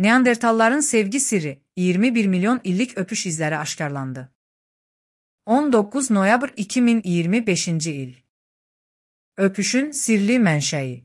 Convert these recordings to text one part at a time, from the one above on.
Neandertalların sevgi sirri, 21 milyon illik öpüş izləri aşkarlandı. 19 noyabr 2025 il. Öpüşün sirli mənşəyi.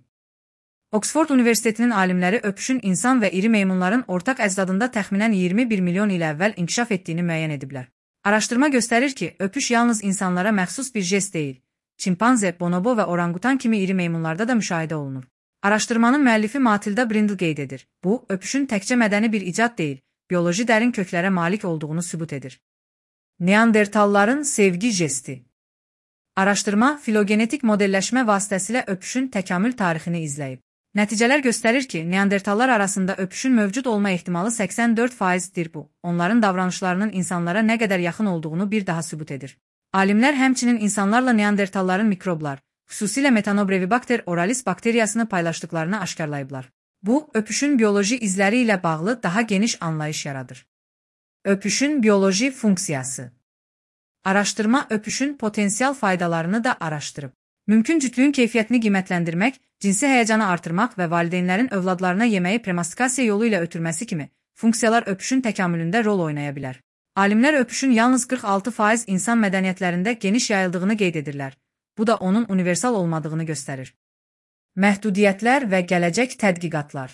Oksford Universitetinin alimləri öpüşün insan və iri meymunların ortaq əcdadında təxminən 21 milyon il əvvəl inkişaf etdiyini müəyyən ediblər. Araşdırma göstərir ki, öpüş yalnız insanlara məxsus bir jest deyil. Çimpanze, bonobo və orangutan kimi iri meymunlarda da müşahidə olunur. Araşdırmanın müəllifi Matilda Brindle qeyd edir. Bu, öpüşün təkcə mədəni bir icad deyil, bioloji dərin köklərə malik olduğunu sübut edir. Neandertalların sevgi jesti. Araşdırma, filogenetik modelləşmə vasitəsilə öpüşün təkamül tarixini izləyib. Nəticələr göstərir ki, neandertallar arasında öpüşün mövcud olma ehtimalı 84%dir bu. Onların davranışlarının insanlara nə qədər yaxın olduğunu bir daha sübut edir. Alimlər həmçinin insanlarla neandertalların mikroblar, xüsusilə Methanobrevibacter oralis bakteriyasını paylaşdıqlarını aşkarlayıblar. Bu, öpüşün bioloji izləri ilə bağlı daha geniş anlayış yaradır. Öpüşün bioloji funksiyası. Araşdırma öpüşün potensial faydalarını da araşdırıb. Mümkün cütlüyün keyfiyyətini qiymətləndirmək, cinsi həyəcanı artırmaq və valideynlərin övladlarına yeməyi premastikasiya yolu ilə ötürməsi kimi funksiyalar öpüşün təkamülündə rol oynaya bilər. Alimlər öpüşün yalnız 46% insan mədəniyyətlərində geniş yayıldığını qeyd edirlər. Bu da onun universal olmadığını göstərir. Məhdudiyyətlər və gələcək tədqiqatlar.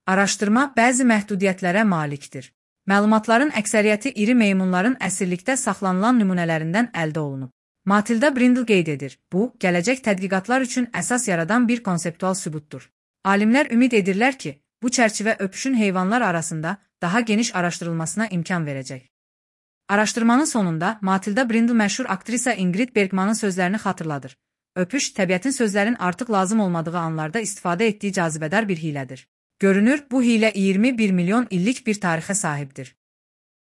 Araşdırma bəzi məhdudiyyətlərə malikdir. Məlumatların əksəriyyəti iri meymunların əsirlikdə saxlanılan nümunələrindən əldə olunub. Matilda Brindle qeyd edir. Bu, gələcək tədqiqatlar üçün əsas yaradan bir konseptual sübutdur. Alimlər ümid edirlər ki, bu çərçivə öpüşün heyvanlar arasında daha geniş araşdırılmasına imkan verəcək. Araşdırmanın sonunda Matilda Brindle məşhur aktrisa Ingrid Bergmanın sözlərini xatırladır. Öpüş, təbiətin sözlərin artıq lazım olmadığı anlarda istifadə etdiyi cazibədar bir hilədir. Görünür, bu hilə 21 milyon illik bir tarixə sahibdir.